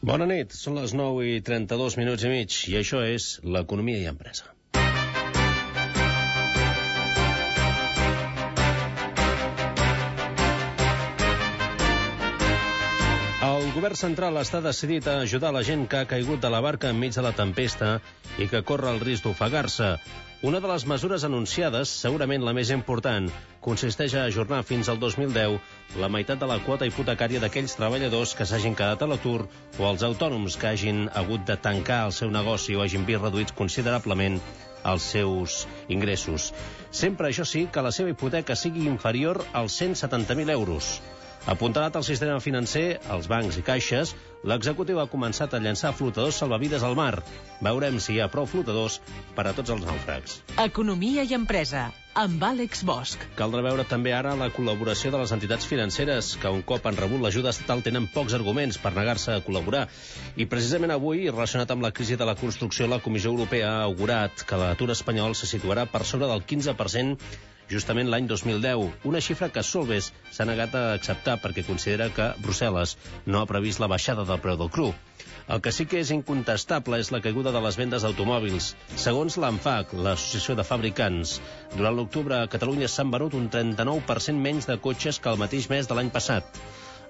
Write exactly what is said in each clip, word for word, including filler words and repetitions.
Bona nit, són les nou i trenta-dos minuts i mig i això és l'Economia i Empresa. El govern central està decidit a ajudar la gent que ha caigut de la barca enmig de la tempesta i que corre el risc d'ofegar-se. Una de les mesures anunciades, segurament la més important, consisteix a ajornar fins al dos mil deu la meitat de la quota hipotecària d'aquells treballadors que s'hagin quedat a l'atur o els autònoms que hagin hagut de tancar el seu negoci o hagin vist reduïts considerablement els seus ingressos. Sempre, això sí, que la seva hipoteca sigui inferior als cent setanta mil euros. Apuntalat al sistema financer, als bancs i caixes, l'executiu ha començat a llançar flotadors salvavides al mar. Veurem si hi ha prou flotadors per a tots els nàufrags. Economia i Empresa, amb Àlex Bosch. Caldrà veure també ara la col·laboració de les entitats financeres, que un cop han rebut l'ajuda estatal tenen pocs arguments per negar-se a col·laborar. I precisament avui, relacionat amb la crisi de la construcció, la Comissió Europea ha augurat que l'atur espanyol se situarà per sobre del quinze per cent justament l'any dos mil deu, una xifra que Solbes s'ha negat a acceptar perquè considera que Brussel·les no ha previst la baixada del preu del cru. El que sí que és incontestable és la caiguda de les vendes d'automòbils. Segons l'ANFAC, l'Associació de Fabricants, durant l'octubre a Catalunya s'han venut un trenta-nou per cent menys de cotxes que el mateix mes de l'any passat.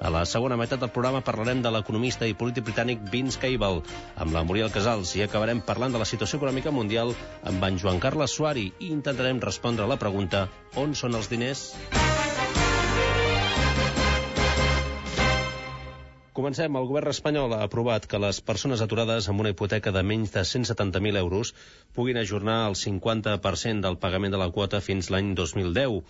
A la segona meitat del programa parlarem de l'economista i polític britànic Vince Cable, amb la Muriel Casals, i acabarem parlant de la situació econòmica mundial amb en Joan Carles Suari i intentarem respondre a la pregunta: on són els diners? Comencem. El govern espanyol ha aprovat que les persones aturades amb una hipoteca de menys de cent setanta mil euros puguin ajornar el cinquanta per cent del pagament de la quota fins l'any dos mil deu.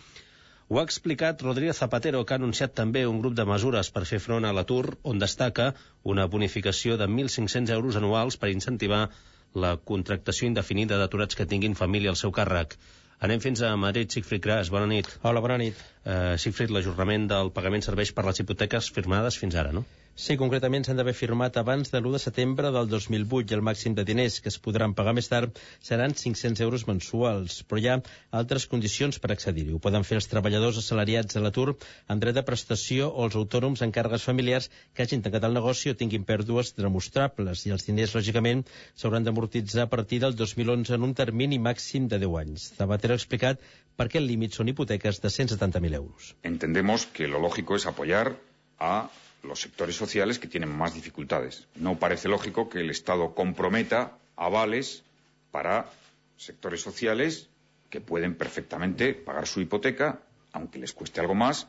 Ho ha explicat Rodríguez Zapatero, que ha anunciat també un grup de mesures per fer front a l'atur, on destaca una bonificació de mil cinc-cents euros anuals per incentivar la contractació indefinida d'aturats que tinguin família al seu càrrec. Anem fins a Madrid. Sigfrid Gras, bona nit. Hola, bona nit. Uh, Sigfrid, l'ajornament del pagament serveix per les hipoteques firmades fins ara, no? Sí, concretament s'han d'haver firmat abans de l'u de setembre del dos mil vuit i el màxim de diners que es podran pagar més tard seran cinc-cents euros mensuals, però hi ha altres condicions per accedir-hi. Ho poden fer els treballadors assalariats a l'atur amb dret de prestació o els autònoms en càrregues familiars que hagin tancat el negoci o tinguin pèrdues demostrables, i els diners, lògicament, s'hauran d'amortitzar a partir del dos mil onze en un termini màxim de deu anys. Zapatero ha explicat per què el límit són hipoteques de cent setanta mil euros. Entendemos que lo lógico es apoyar a los sectores sociales que tienen más dificultades. No parece lógico que el Estado comprometa avales para sectores sociales que pueden perfectamente pagar su hipoteca, aunque les cueste algo más.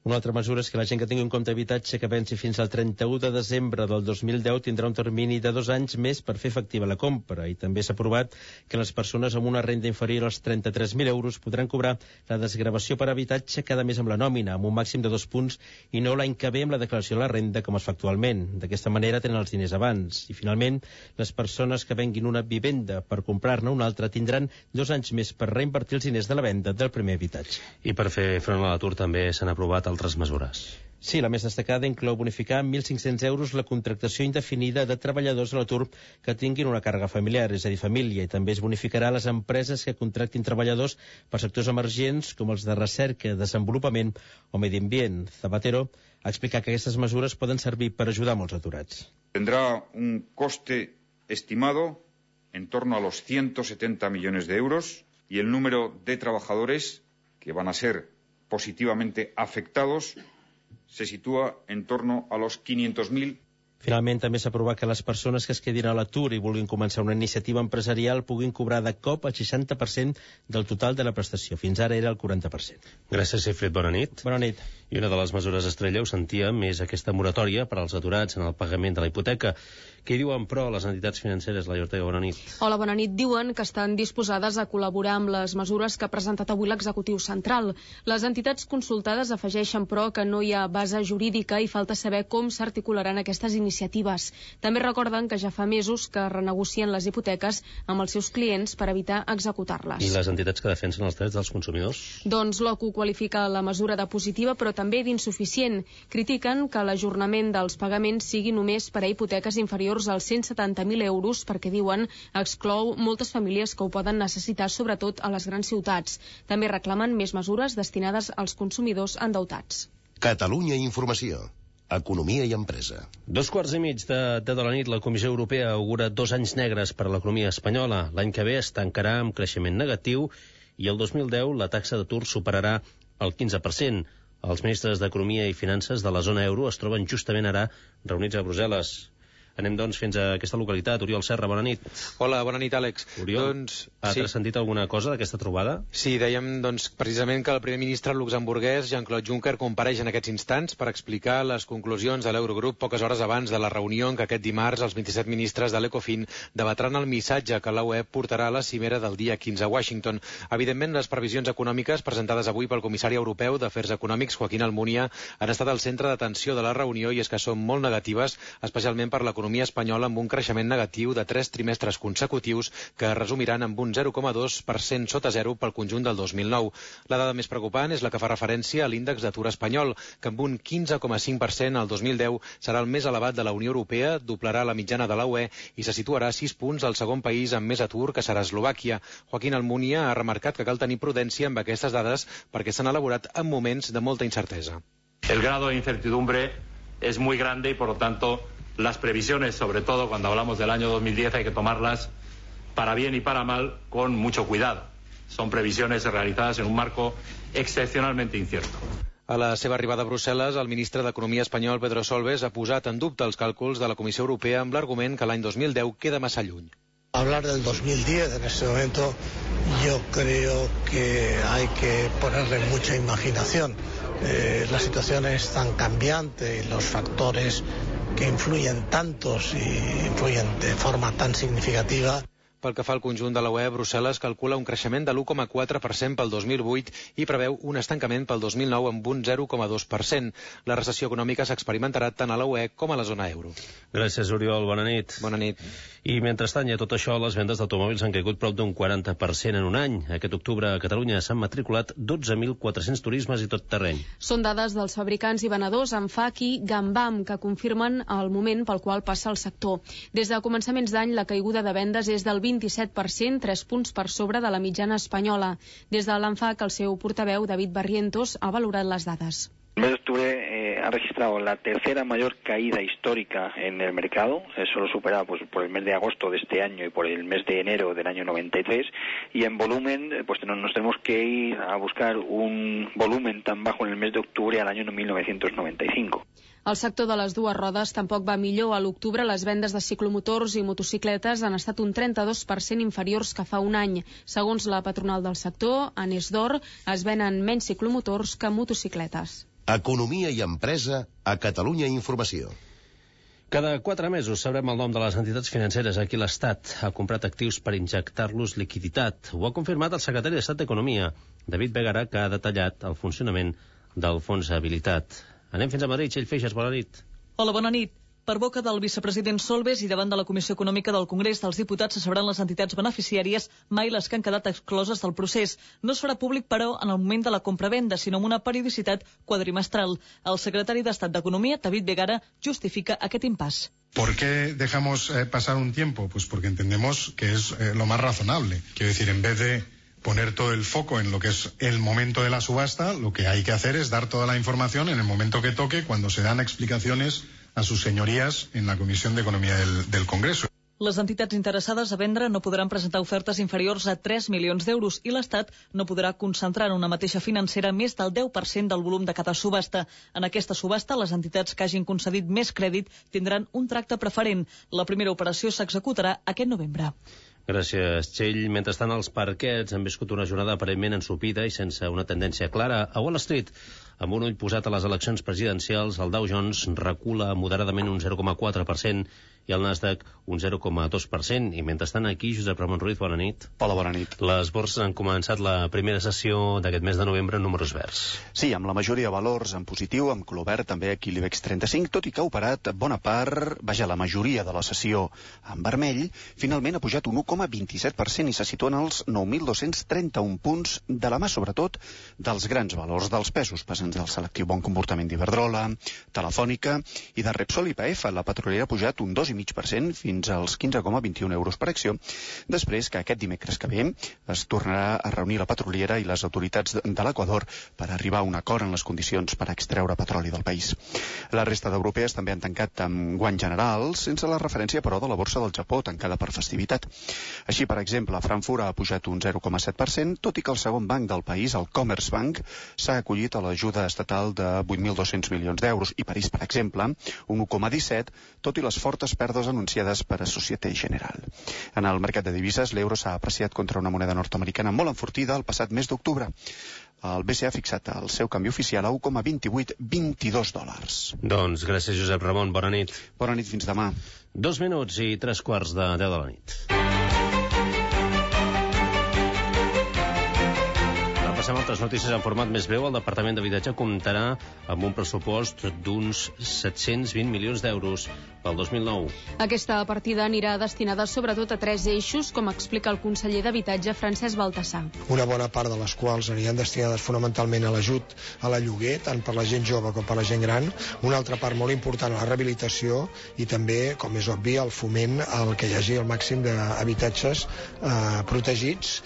Una altra mesura és que la gent que tingui un compte d'habitatge que venci fins al trenta-u de desembre del dos mil deu tindrà un termini de dos anys més per fer efectiva la compra, i també s'ha aprovat que les persones amb una renda inferior als trenta-tres mil euros podran cobrar la desgravació per habitatge cada mes amb la nòmina, amb un màxim de dos punts, i no l'any que ve amb la declaració de la renda, com es fa actualment. D'aquesta manera tenen els diners abans. I finalment, les persones que venguin una vivenda per comprar-ne una altra tindran dos anys més per reinvertir els diners de la venda del primer habitatge. I per fer front a l'atur també s'han aprovat altres mesures. Sí, la més destacada inclou bonificar mil cinc-cents euros la contractació indefinida de treballadors a l'atur que tinguin una càrrega familiar, és a dir, família, i també es bonificarà les empreses que contractin treballadors per sectors emergents com els de recerca, desenvolupament o medi ambient. Zapatero ha explicat que aquestes mesures poden servir per ajudar molts aturats. Tendrá un coste estimado en torno a los ciento setenta millones de euros y el número de trabajadores que van a ser positivamente afectados se sitúa en torno a los quinientos mil. Finalment, també s'ha aprovat que les persones que es quedin a l'atur i vulguin començar una iniciativa empresarial puguin cobrar de cop el seixanta per cent del total de la prestació. Fins ara era el quaranta per cent. Gràcies, Sigfrid. Bona nit. Bona nit. I una de les mesures estrella, ho sentíem, és aquesta moratòria per als aturats en el pagament de la hipoteca. Què diuen, però, les entitats financeres? La Ortega, bona nit. Hola, bona nit. Diuen que estan disposades a col·laborar amb les mesures que ha presentat avui l'executiu central. Les entitats consultades afegeixen, però, que no hi ha base jurídica i falta saber com s'articularan aquestes iniciatives. També recorden que ja fa mesos que renegocien les hipoteques amb els seus clients per evitar executar-les. I les entitats que defensen els drets dels consumidors? Doncs l'O C U qualifica la mesura de positiva, però també d'insuficient. Critiquen que l'ajornament dels pagaments sigui només per a hipoteques inferiors als cent setanta mil euros, perquè, diuen, exclou moltes famílies que ho poden necessitar, sobretot a les grans ciutats. També reclamen més mesures destinades als consumidors endeutats. Catalunya Informació. Economia i empresa. Dos quarts i mig de, de, de la nit, la Comissió Europea augura dos anys negres per a l'economia espanyola. L'any que ve es tancarà amb creixement negatiu i el dos mil deu la taxa d'atur superarà el quinze per cent. Els ministres d'Economia i Finances de la zona euro es troben justament ara reunits a Brussel·les. Anem, doncs, fins a aquesta localitat. Oriol Serra, bona nit. Hola, bona nit, Àlex. Oriol, doncs, has sí. sentit alguna cosa d'aquesta trobada? Sí, dèiem, doncs, precisament que el primer ministre luxemburguès, Jean-Claude Juncker, compareix en aquests instants per explicar les conclusions de l'Eurogrup poques hores abans de la reunió en què aquest dimarts els vint-i-set ministres de l'Ecofin debatran el missatge que la U E portarà a la cimera del dia quinze a Washington. Evidentment, les previsions econòmiques presentades avui pel comissari europeu d'Afers Econòmics, Joaquín Almunia, han estat al centre d'atenció de la reunió i és que són molt negatives, especialment per l'economia espanyola, amb un creixement negatiu de tres trimestres consecutius que es resumiran amb un zero coma dos per cent sota zero pel conjunt del dos mil nou. La dada més preocupant és la que fa referència a l'índex d'atur espanyol, que amb un quinze coma cinc per cent el dos mil deu serà el més elevat de la Unió Europea, doblarà la mitjana de la U E i se situarà a sis punts al segon país amb més atur, que serà Eslovàquia. Joaquín Almunia ha remarcat que cal tenir prudència amb aquestes dades perquè s'han elaborat en moments de molta incertesa. El grado de incertidumbre es muy grande y, por lo tanto, las previsiones, sobre todo cuando hablamos del año dos mil diez, hay que tomarlas para bien y para mal con mucho cuidado. Son previsiones realizadas en un marco excepcionalmente incierto. A la seva arribada a Brussel·les, el ministre d'Economia espanyol, Pedro Solbes, ha posat en dubte els càlculs de la Comissió Europea amb l'argument que l'any dos mil deu queda massa lluny. Hablar del dos mil diez en este momento yo creo que hay que ponerle mucha imaginación. Eh, la situación es tan cambiante y los factores que influyen tantos y influyen de forma tan significativa. Pel que fa al conjunt de la U E, Brussel·les calcula un creixement de l'u coma quatre per cent pel dos mil vuit i preveu un estancament pel dos mil nou amb un zero coma dos per cent. La recessió econòmica s'experimentarà tant a la U E com a la zona euro. Gràcies, Oriol. Bona nit. Bona nit. I mentrestant, i a tot això, les vendes d'automòbils han caigut prop d'un quaranta per cent en un any. Aquest octubre a Catalunya s'han matriculat dotze mil quatre-cents turismes i tot terreny. Són dades dels fabricants i venedors Anfac i Gambam, que confirmen el moment pel qual passa el sector. Des de començaments d'any, la caiguda de vendes és del vint-i-set per cent, tres punts per sobre de la mitjana espanyola. Des de l'Anfac, el seu portaveu, David Barrientos, ha valorat les dades. El mes de octubre eh, ha registrado la tercera mayor caída histórica en el mercado, eh, solo superada pues, por el mes de agosto de este año y por el mes de enero del año noventa y tres, y en volumen eh, pues nos tenemos que ir a buscar un volumen tan bajo en el mes de octubre al año mil novecientos noventa y cinco. El sector de les dues rodes tampoc va millor. A l'octubre les vendes de ciclomotors i motocicletes han estat un trenta-dos per cent inferiors que fa un any. Segons la patronal del sector, a Nesdor, es venen menys ciclomotors que motocicletes. Economia i empresa a Catalunya Informació. Cada quatre mesos sabrem el nom de les entitats financeres a qui l'Estat ha comprat actius per injectar-los liquiditat. Ho ha confirmat el secretari d'Estat d'Economia, David Begara, que ha detallat el funcionament del fons habilitat. Anem fins a Madrid. Txell Feixes, bona nit. Hola, bona nit. Per boca del vicepresident Solbes i davant de la Comissió Econòmica del Congrés dels Diputats se sabran les entitats beneficiàries, mai les que han quedat excloses del procés. No es farà públic, però, en el moment de la compra-venda, sinó amb una periodicitat quadrimestral. El secretari d'Estat d'Economia, David Begara, justifica aquest impàs. ¿Por qué dejamos eh, pasar un tiempo? Pues porque entendemos que es eh, lo más razonable. Quiero decir, en vez de poner todo el foco en lo que es el momento de la subasta, lo que hay que hacer es dar toda la información en el momento que toque, cuando se dan explicaciones a sus señorías en la Comisión de Economía del, del Congreso. Les entitats interessades a vendre no podran presentar ofertes inferiors a tres milions d'euros i l'Estat no podrà concentrar en una mateixa financera més del deu per cent del volum de cada subhasta. En aquesta subhasta, les entitats que hagin concedit més crèdit tindran un tracte preferent. La primera operació s'executarà aquest novembre. Gràcies, Txell. Mentrestant, els parquets han viscut una jornada aparentment ensopida i sense una tendència clara. A Wall Street, amb un ull posat a les eleccions presidencials, el Dow Jones recula moderadament un zero coma quatre per cent i el Nasdaq un zero coma dos per cent. I mentrestant aquí, Josep Ramon Ruiz, bona nit. Hola, bona nit. Les borses han començat la primera sessió d'aquest mes de novembre en números verds. Sí, amb la majoria de valors en positiu, amb color verd també aquí l'IBEX trenta-cinc, tot i que ha operat bona part, vaja, la majoria de la sessió en vermell, finalment ha pujat un u coma vint-i-set per cent i se situa en els nou mil dos-cents trenta-un punts, de la mà sobretot dels grans valors dels pesos, pesant doncs, del selectiu Bon Comportament d'Iberdrola, Telefònica i de Repsol i P F. La petrolera ha pujat un dos coma cinc per cent fins als quinze coma vint i un euros per acció, després que aquest dimecres que ve es tornarà a reunir la petroliera i les autoritats de l'Equador per arribar a un acord en les condicions per extreure petroli del país. La resta d'europees també han tancat amb guany general, sense la referència, però, de la borsa del Japó, tancada per festivitat. Així, per exemple, Frankfurt ha pujat un zero coma set per cent, tot i que el segon banc del país, el Commerzbank, s'ha acollit a l'ajuda estatal de vuit mil dos-cents milions d'euros, i París, per exemple, un u coma disset, tot i les fortes pèrdues anunciades per a Société Générale. En el mercat de divises, l'euro s'ha apreciat contra una moneda nord-americana molt enfortida el passat mes d'octubre. El B C E ha fixat el seu canvi oficial a u coma vint vuit vint dos dòlars. Doncs gràcies, Josep Ramon. Bona nit. Bona nit, fins demà. Dos minuts i tres quarts de deu de la nit. Passem a altres notícies en format més breu. El Departament d'Habitatge comptarà amb un pressupost d'uns set-cents vint milions d'euros pel dos mil nou. Aquesta partida anirà destinada sobretot a tres eixos, com explica el conseller d'Habitatge, Francesc Baltasar. Una bona part de les quals aniran destinades fonamentalment a l'ajut a la lloguer, tant per la gent jove com per la gent gran. Una altra part molt important a la rehabilitació i també, com és obvi, al foment al que hi hagi el màxim d'habitatges eh, protegits.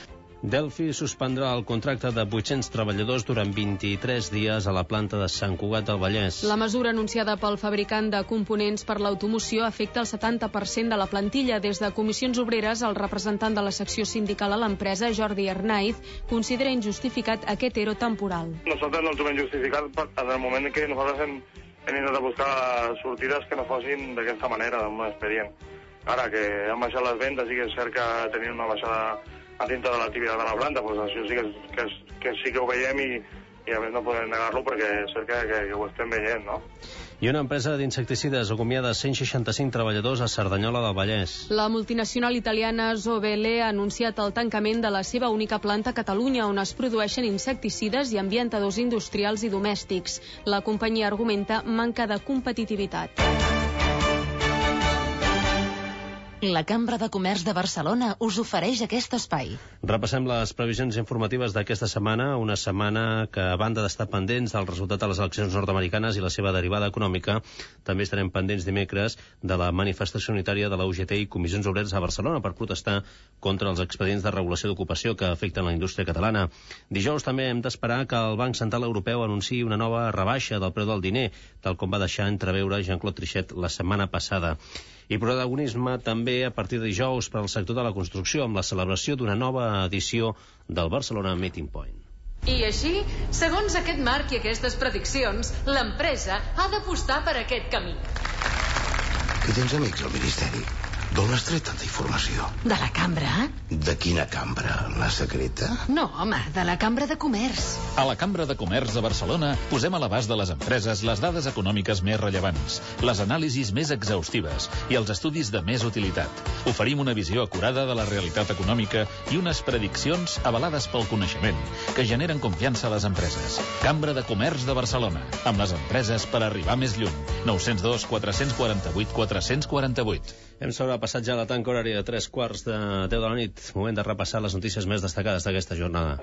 Delphi suspendrà el contracte de vuit-cents treballadors durant vint-i-tres dies a la planta de Sant Cugat del Vallès. La mesura anunciada pel fabricant de components per l'automoció afecta el setanta per cent de la plantilla. Des de Comissions Obreres, el representant de la secció sindical a l'empresa, Jordi Arnaiz, considera injustificat aquest ero temporal. Nosaltres no el trobem justificat en el moment que nosaltres hem, hem intentat buscar sortides que no fossin d'aquesta manera, d'un expedient. Ara que han baixat les vendes i que és cert que tenien una baixada a dintre de l'activitat de la planta, doncs això sí que, que, que sí que ho veiem i, i a més no podem negar-lo perquè és cert que, que, que ho estem veient, no? I una empresa d'insecticides acomiada cent seixanta-cinc treballadors a Cerdanyola del Vallès. La multinacional italiana Zovele ha anunciat el tancament de la seva única planta a Catalunya, on es produeixen insecticides i ambientadors industrials i domèstics. La companyia argumenta manca de competitivitat. La Cambra de Comerç de Barcelona us ofereix aquest espai. Repassem les previsions informatives d'aquesta setmana, una setmana que, a banda d'estar pendents del resultat de les eleccions nord-americanes i la seva derivada econòmica, també estarem pendents dimecres de la manifestació unitària de la U G T i Comissions Obreres a Barcelona per protestar contra els expedients de regulació d'ocupació que afecten la indústria catalana. Dijous també hem d'esperar que el Banc Central Europeu anunciï una nova rebaixa del preu del diner, tal com va deixar entreveure Jean-Claude Trichet la setmana passada. I protagonisme també a partir de dijous per al sector de la construcció amb la celebració d'una nova edició del Barcelona Meeting Point. I així, segons aquest marc i aquestes prediccions, l'empresa ha d'apostar per aquest camí. Que tens amics al Ministeri? D'on has tret tanta informació? De la cambra? De quina cambra? La secreta? No, home, de la Cambra de Comerç. A la Cambra de Comerç de Barcelona posem a l'abast de les empreses les dades econòmiques més rellevants, les anàlisis més exhaustives i els estudis de més utilitat. Oferim una visió acurada de la realitat econòmica i unes prediccions avalades pel coneixement que generen confiança a les empreses. Cambra de Comerç de Barcelona, amb les empreses per arribar més lluny. nou zero dos, quatre quatre vuit, quatre quatre vuit. Hem sobrepassat ja la tanca horària de tres quarts de deu de la nit. Moment de repassar les notícies més destacades d'aquesta jornada.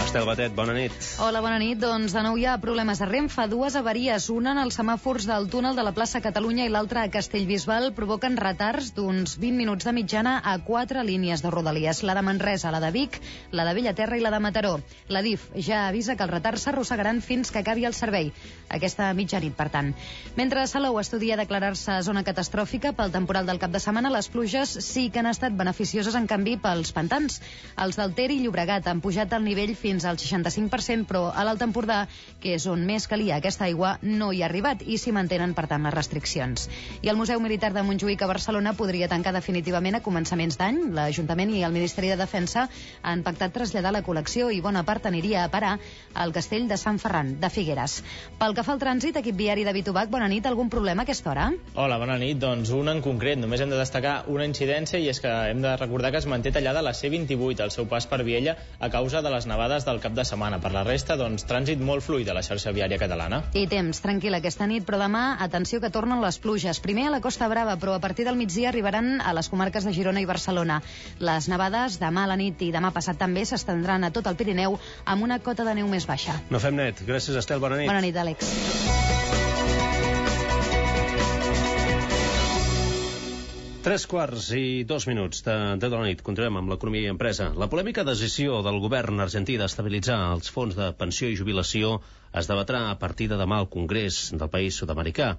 Estel Batet, bona nit. Hola, bona nit. Doncs de nou hi ha problemes a Renfe. Dues avaries, una en els semàfors del túnel de la plaça Catalunya i l'altra a Castellbisbal, provoquen retards d'uns vint minuts de mitjana a quatre línies de Rodalies. La de Manresa, la de Vic, la de Bellaterra i la de Mataró. La D I F ja avisa que els retards s'arrossegaran fins que acabi el servei. Aquesta mitjanit, per tant. Mentre Salou estudia declarar-se zona catastròfica pel temporal del cap de setmana, les pluges sí que han estat beneficioses, en canvi, pels pantans. Els del Ter i Llobregat han pujat el nivell fins al seixanta-cinc per cent, però a l'Alt Empordà, que és on més calia aquesta aigua, no hi ha arribat i s'hi mantenen, per tant, les restriccions. I el Museu Militar de Montjuïc a Barcelona podria tancar definitivament a començaments d'any. L'Ajuntament i el Ministeri de Defensa han pactat traslladar la col·lecció i bona part aniria a parar al castell de Sant Ferran, de Figueres. Pel que fa al trànsit, equip viari de Bitubac, bona nit. Algun problema a aquesta hora? Hola, bona nit. Doncs un en concret. Només hem de destacar una incidència i és que hem de recordar que es manté tallada la C vint-i-vuit al seu pas per Viella a causa de les nevades del cap de setmana. Per la resta, doncs, trànsit molt fluid a la xarxa viària catalana. I temps tranquil aquesta nit, però demà, atenció que tornen les pluges. Primer a la Costa Brava, però a partir del migdia arribaran a les comarques de Girona i Barcelona. Les nevades demà a la nit i demà passat també s'estendran a tot el Pirineu amb una cota de neu més baixa. No fem net. Gràcies, Estel. Bona nit. Bona nit, Àlex. Tres quarts i dos minuts de deu de la nit. Continuem amb l'economia i empresa. La polèmica decisió del govern argentí d'estabilitzar els fons de pensió i jubilació es debatrà a partir de demà al Congrés del país sud-americà.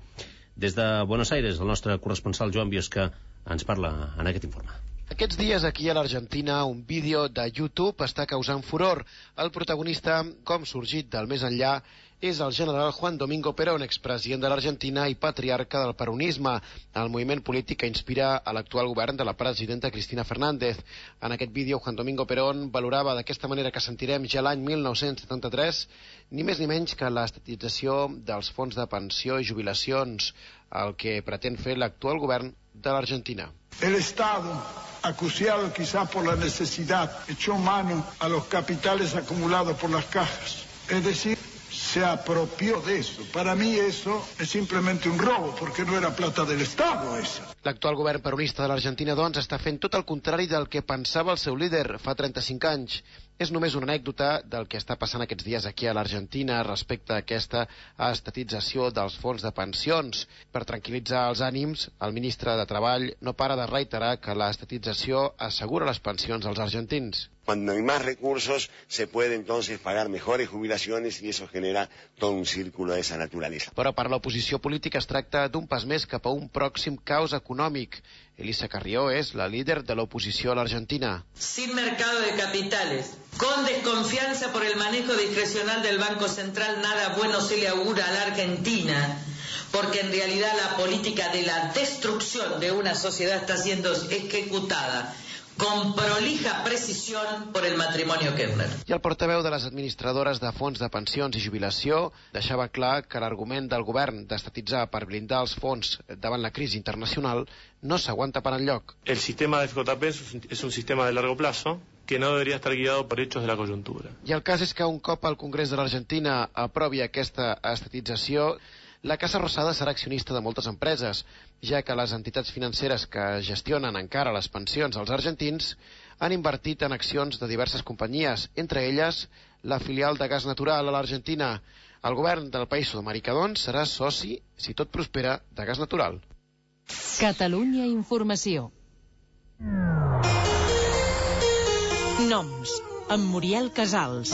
Des de Buenos Aires, el nostre corresponsal Joan Biosca ens parla en aquest informe. Aquests dies aquí a l'Argentina un vídeo de YouTube està causant furor. El protagonista, com sorgit del més enllà, és el general Juan Domingo Perón, expresident de l'Argentina i patriarca del peronisme, el moviment polític que inspira a l'actual govern de la presidenta Cristina Fernández. En aquest vídeo, Juan Domingo Perón valorava d'aquesta manera que sentirem ja l'any mil nou-cents setanta-tres ni més ni menys que l'estatització dels fons de pensió i jubilacions, el que pretén fer l'actual govern de l'Argentina. El Estado, acuciado quizás por la necesidad, echó mano a los capitales acumulados por las cajas. Es decir, se apropió de eso. Para mí eso es simplemente un robo, porque no era plata del Estado esa. L'actual govern peronista de l'Argentina, doncs, està fent tot el contrari del que pensava el seu líder fa trenta-cinc anys. És només una anècdota del que està passant aquests dies aquí a l'Argentina respecte a aquesta estatització dels fons de pensions. Per tranquil·litzar els ànims, el ministre de Treball no para de reiterar que l'estatització assegura les pensions als argentins. Cuando hay más recursos, se puede entonces pagar mejores jubilaciones y eso genera todo un círculo de esa naturaleza. Però per l'oposició política es tracta d'un pas més cap a un pròxim caos econòmic. Elisa Carrió és la líder de l'oposició a l'Argentina. Sin mercado de capitales, con desconfianza por el manejo discrecional del Banco Central, nada bueno se le augura a la Argentina, porque en realidad la política de la destrucción de una sociedad está siendo ejecutada con prolija precisión por el matrimonio Kirchner. I el portaveu de les administradores de fons de pensions i jubilació deixava clar que l'argument del govern d'estatitzar per blindar els fons davant la crisi internacional no s'aguanta per enlloc. El sistema de F J P es un sistema de largo plazo que no debería estar guiado por hechos de la coyuntura. I el cas és que un cop el Congrés de l'Argentina aprovi aquesta estatització, la Casa Rosada serà accionista de moltes empreses, ja que les entitats financeres que gestionen encara les pensions als argentins han invertit en accions de diverses companyies, entre elles la filial de gas natural a l'Argentina. El govern del país sud-americà, doncs, serà soci, si tot prospera, de gas natural. Catalunya Informació. Noms, amb Muriel Casals.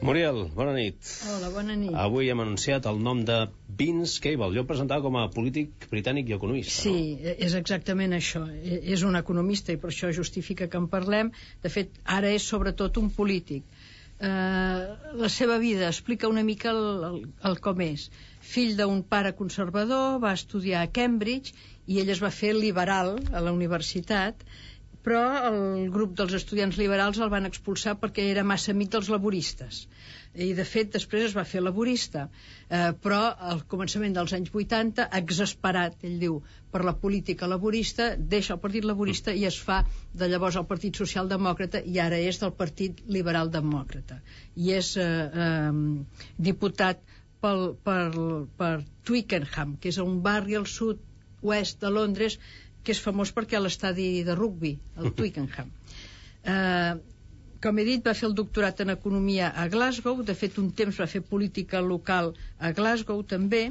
Muriel, bona nit. Hola, bona nit. Avui hem anunciat el nom de Vince Cable. Jo el presentava com a polític britànic i economista. Sí, no? És exactament això. És un economista i per això justifica que en parlem. De fet, ara és sobretot un polític. Uh, la seva vida explica una mica el, el, el com és. Fill d'un pare conservador, va estudiar a Cambridge i ell es va fer liberal a la universitat, però el grup dels estudiants liberals el van expulsar perquè era massa amic dels laboristes. I, de fet, després es va fer laborista. Eh, però al començament dels anys vuitanta, exasperat, ell diu, per la política laborista, deixa el Partit Laborista i es fa de llavors el Partit Socialdemòcrata i ara és del Partit Liberal Demòcrata. I és eh, eh, diputat pel, per, per Twickenham, que és un barri al sud-oest de Londres que és famós perquè l'estadi de rugbi, el Twickenham. Eh, com he dit, va fer el doctorat en Economia a Glasgow, de fet un temps va fer política local a Glasgow també.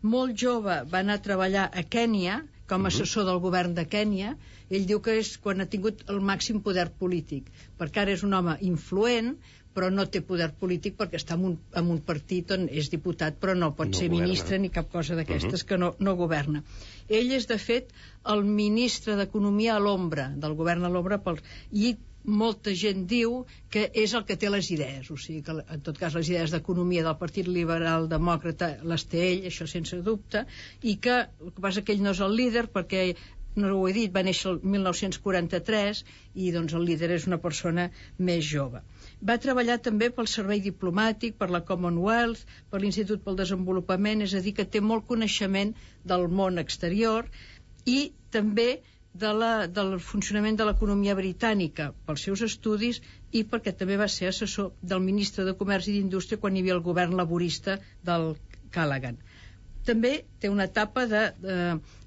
Molt jove va anar a treballar a Kènia com a assessor del govern de Kènia. Ell diu que és quan ha tingut el màxim poder polític, perquè ara és un home influent, però no té poder polític perquè està en un, en un partit on és diputat però no pot no ser governa. Ministre ni cap cosa d'aquestes, uh-huh. que no, no governa. Ell és, de fet, el ministre d'Economia a l'ombra, del govern a l'ombra, pel... i molta gent diu que és el que té les idees, o sigui que en tot cas les idees d'economia del Partit Liberal Demòcrata les té ell, això sense dubte, i que el que passa que ell no és el líder perquè, no ho he dit, va néixer el mil nou-cents quaranta-tres i doncs el líder és una persona més jove. Va treballar també pel servei diplomàtic, per la Commonwealth, per l'Institut pel Desenvolupament, és a dir, que té molt coneixement del món exterior i també de la, del funcionament de l'economia britànica pels seus estudis i perquè també va ser assessor del ministre de Comerç i d'Indústria quan hi havia el govern laborista del Callaghan. També té una etapa de, de,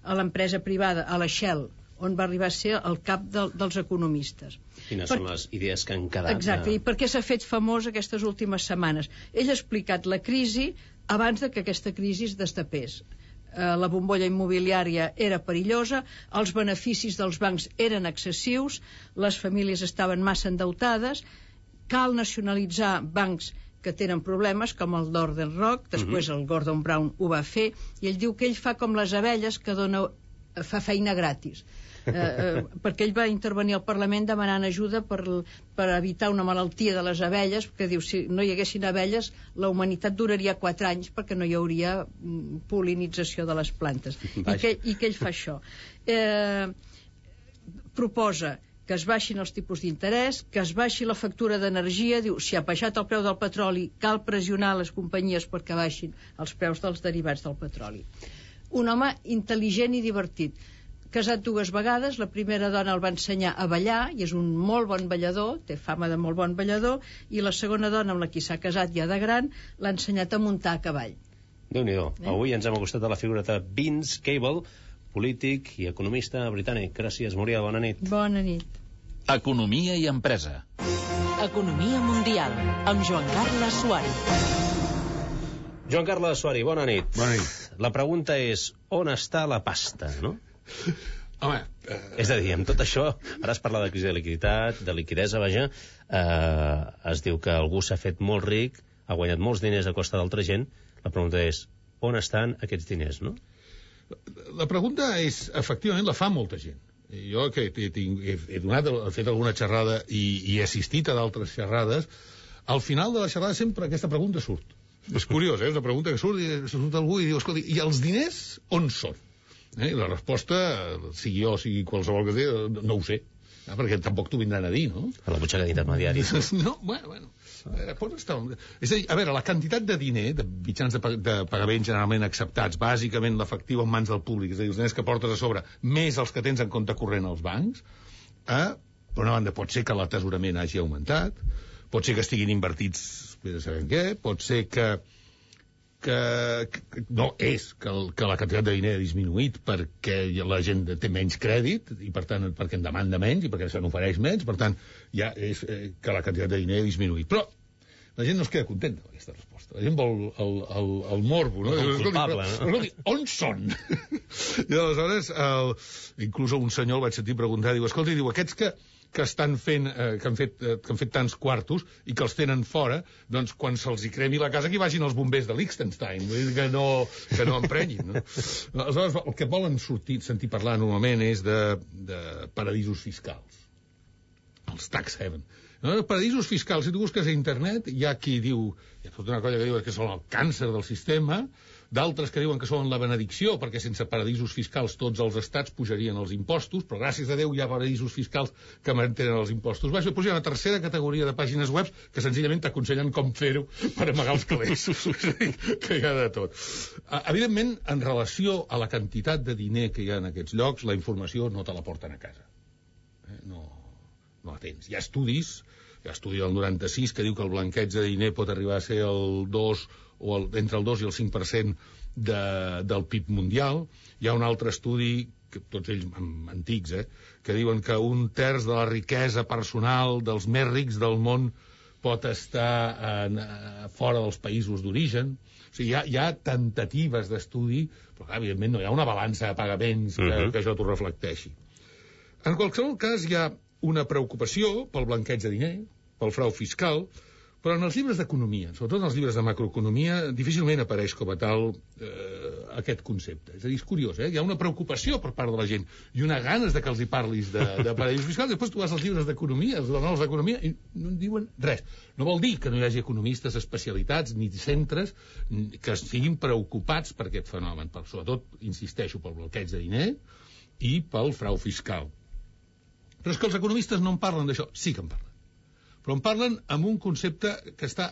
a l'empresa privada, a la Shell, on va arribar a ser el cap de, dels economistes. Quines per... són les idees que han quedat? Exacte, de... i per què s'ha fet famós aquestes últimes setmanes? Ell ha explicat la crisi abans de que aquesta crisi es destapés. Eh, la bombolla immobiliària era perillosa, els beneficis dels bancs eren excessius, les famílies estaven massa endeutades, cal nacionalitzar bancs que tenen problemes, com el Northern Rock, després uh-huh. el Gordon Brown ho va fer, i ell diu que ell fa com les abelles que dona, fa feina gratis. eh, eh, perquè ell va intervenir al Parlament demanant ajuda per, per evitar una malaltia de les abelles, que diu, si no hi haguessin abelles la humanitat duraria quatre anys perquè no hi hauria pol·linització de les plantes. I que, i que ell fa això. Eh, proposa que es baixin els tipus d'interès, que es baixi la factura d'energia, diu, si ha baixat el preu del petroli, cal pressionar les companyies perquè baixin els preus dels derivats del petroli. Un home intel·ligent i divertit, casat dues vegades, la primera dona el va ensenyar a ballar, i és un molt bon ballador, té fama de molt bon ballador, i la segona dona amb la qui s'ha casat ja de gran, l'ha ensenyat a muntar a cavall. Déu-n'hi-do. Eh? Avui ens hem acostat a la figura de Vince Cable, polític i economista britànic. Gràcies, Muriel, bona nit. Bona nit. Economia i empresa. Economia mundial, amb Joan Carles Suari. Joan Carles Suari, bona nit. Bona nit. La pregunta és, on està la pasta, no? Home... Eh... És a dir, amb tot això, ara es parla de crisi de liquiditat, de liquidesa, vaja, eh, es diu que algú s'ha fet molt ric, ha guanyat molts diners a costa d'altra gent. La pregunta és, on estan aquests diners, no? La pregunta és, efectivament, la fa molta gent. Jo, que he, he, he, donat, he fet alguna xerrada i, i he assistit a d'altres xerrades, al final de la xerrada sempre aquesta pregunta surt. És curiós, eh? És una pregunta que surt i surt algú i diu, escolta, i els diners on són? Eh? I la resposta, sigui jo, sigui qualsevol que sigui, no ho sé. Eh? Perquè tampoc t'ho vindran a dir, no? A la butxaca d'intermediaris. No, bueno, bueno. A veure, on està? És a dir, a veure, la quantitat de diner, de mitjans de, de pagament generalment acceptats, bàsicament l'efectiu en mans del públic, és a dir, els diners que portes a sobre, més els que tens en compte corrent als bancs, eh? Per una banda, pot ser que l'atesorament hagi augmentat, pot ser que estiguin invertits, bé de saber en què, pot ser que, que, que no és que, el, que la quantitat de diner ha disminuït perquè la gent té menys crèdit i per tant perquè en demanda menys i perquè se n'ofereix menys, per tant ja és eh, que la quantitat de diner ha disminuït. Però la gent no es queda contenta amb aquesta resposta. La gent vol el, el, el morbo, no? El culpable, no? Escolti, on són? I aleshores, el, inclús un senyor el vaig sentir preguntar, diu, escolta, diu, aquests que que estan fent, eh, que han fet, eh, que han fet tants quartos i que els tenen fora, doncs quan se'ls hi cremi la casa que hi vagin els bombers de Liechtenstein, vull dir que no, que no emprenyin, no? Aleshores, el que volen sortir, sentir parlar normalment és de, de paradisos fiscals, els tax haven. No? Paradisos fiscals, si tu busques a internet, hi ha qui diu, hi ha tota una colla que diu que són el càncer del sistema, d'altres que diuen que són la benedicció, perquè sense paradisos fiscals tots els estats pujarien els impostos, però gràcies a Déu hi ha paradisos fiscals que mantenen els impostos baixos. Després hi ha una tercera categoria de pàgines web que senzillament t'aconsellen com fer-ho per amagar els calés. Que hi ha de tot. Evidentment, en relació a la quantitat de diner que hi ha en aquests llocs, la informació no te la porten a casa. Eh? No, no la tens. Hi ha estudis, hi ha estudi del noranta-sis que diu que el blanqueig de diner pot arribar a ser el dos o el, entre el dos i el cinc per cent de, del P I B mundial. Hi ha un altre estudi, que, tots ells antics, eh, que diuen que un terç de la riquesa personal dels més rics del món pot estar en, a, fora dels països d'origen. O sigui, hi ha, hi ha temptatives d'estudi, però clar, evidentment no hi ha una balança de pagaments que, uh-huh. que això t'ho reflecteixi. En qualsevol cas, hi ha una preocupació pel blanqueig de diner, pel frau fiscal, però en els llibres d'economia, sobretot en els llibres de macroeconomia, difícilment apareix com a tal eh, aquest concepte. És a dir, és curiós, eh? Hi ha una preocupació per part de la gent i una ganes de que els hi parlis de, de paradisos fiscals, després tu vas als llibres d'economia, els manuals d'economia, i no en diuen res. No vol dir que no hi hagi economistes especialitats ni centres que estiguin preocupats per aquest fenomen, per, sobretot, insisteixo, pel bloqueig de diner i pel frau fiscal. Però és que els economistes no en parlen d'això. Sí que en parlen. Però en parlen amb un concepte que està,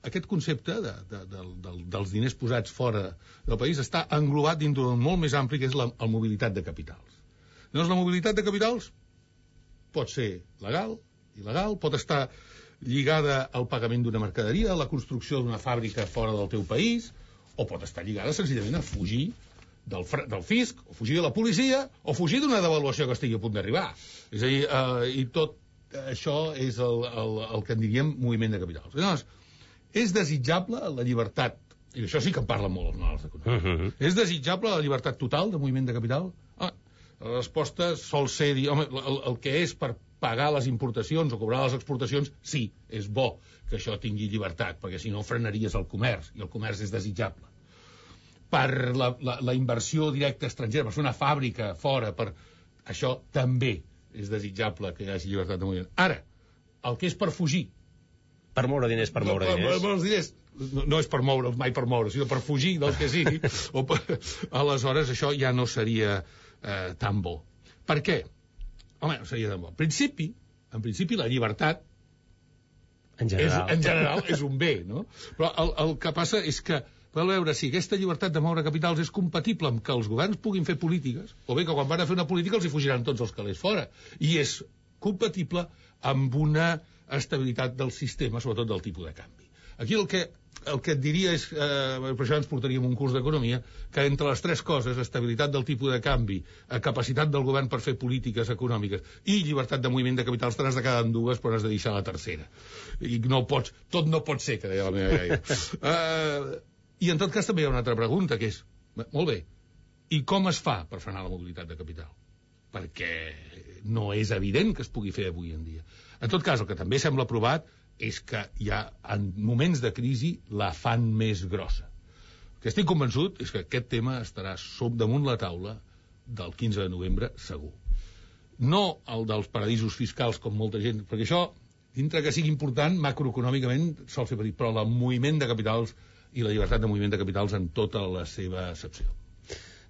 aquest concepte de, de, de, de, dels diners posats fora del país està englobat dintre d'un molt més ampli que és la, la mobilitat de capitals. Llavors, la mobilitat de capitals pot ser legal, il·legal, pot estar lligada al pagament d'una mercaderia, a la construcció d'una fàbrica fora del teu país, o pot estar lligada senzillament a fugir del, del fisc, o fugir de la policia, o fugir d'una devaluació que estigui a punt d'arribar. És a dir, eh, i tot això és el, el, el que en diríem moviment de capitals. Llavors, és desitjable la llibertat, i això sí que en parlen molt els manuals econòmics, uh -huh. és desitjable la llibertat total de moviment de capital? Ah, la resposta sol ser dir, home, el, el que és per pagar les importacions o cobrar les exportacions, sí, és bo que això tingui llibertat, perquè si no frenaries el comerç, i el comerç és desitjable. Per la, la, la inversió directa estrangera, per fer una fàbrica fora, per això també és desitjable que hi hagi llibertat de moviment. Ara, el que és per fugir... Per moure diners, per moure no, diners. Per, per, diners no, no és per moure'ls, mai per moure, sinó per fugir del que sigui. o per, aleshores, això ja no seria eh, tan bo. Per què? Home, no seria tan bo. En principi, en principi la llibertat en general, és, en general és un bé, no? Però el, el que passa és que per veure si aquesta llibertat de moure capitals és compatible amb que els governs puguin fer polítiques, o bé que quan van a fer una política els hi fugiran tots els calés fora, i és compatible amb una estabilitat del sistema, sobretot del tipus de canvi. Aquí el que, el que et diria és, eh, per això ens portaríem un curs d'economia, que entre les tres coses, estabilitat del tipus de canvi, capacitat del govern per fer polítiques econòmiques i llibertat de moviment de capitals, te n'has de quedar en dues, però n'has de deixar la tercera. I no pots, tot no pot ser, que deia la meva iaia. uh, I en tot cas també hi ha una altra pregunta, que és, molt bé, i com es fa per frenar la mobilitat de capital? Perquè no és evident que es pugui fer avui en dia. En tot cas, el que també sembla provat és que hi ha, en moments de crisi, la fan més grossa. El que estic convençut és que aquest tema estarà damunt la taula del quinze de novembre, segur. No el dels paradisos fiscals, com molta gent, perquè això, dintre que sigui important, macroeconòmicament sol ser petit, però el moviment de capitals i la llibertat de moviment de capitals en tota la seva accepció.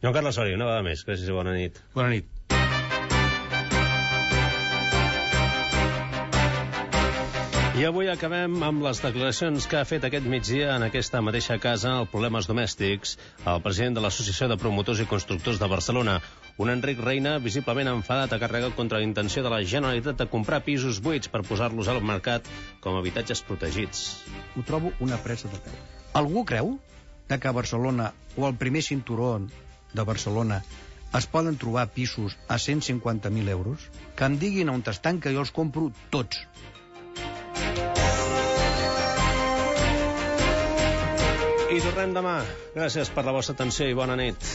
Joan Carles Soria, una vegada més. Gràcies i bona nit. Bona nit. I avui acabem amb les declaracions que ha fet aquest migdia en aquesta mateixa casa el Problemes Domèstics, el president de l'Associació de Promotors i Constructors de Barcelona, un Enric Reina visiblement enfadat, ha carregat contra la intenció de la Generalitat de comprar pisos buits per posar-los al mercat com a habitatges protegits. Ho trobo una presa de peu. Algú creu que a Barcelona o al primer cinturó de Barcelona es poden trobar pisos a cent cinquanta mil euros? Que em diguin on estan, que jo els compro tots. I tornem demà. Gràcies per la vostra atenció i bona nit.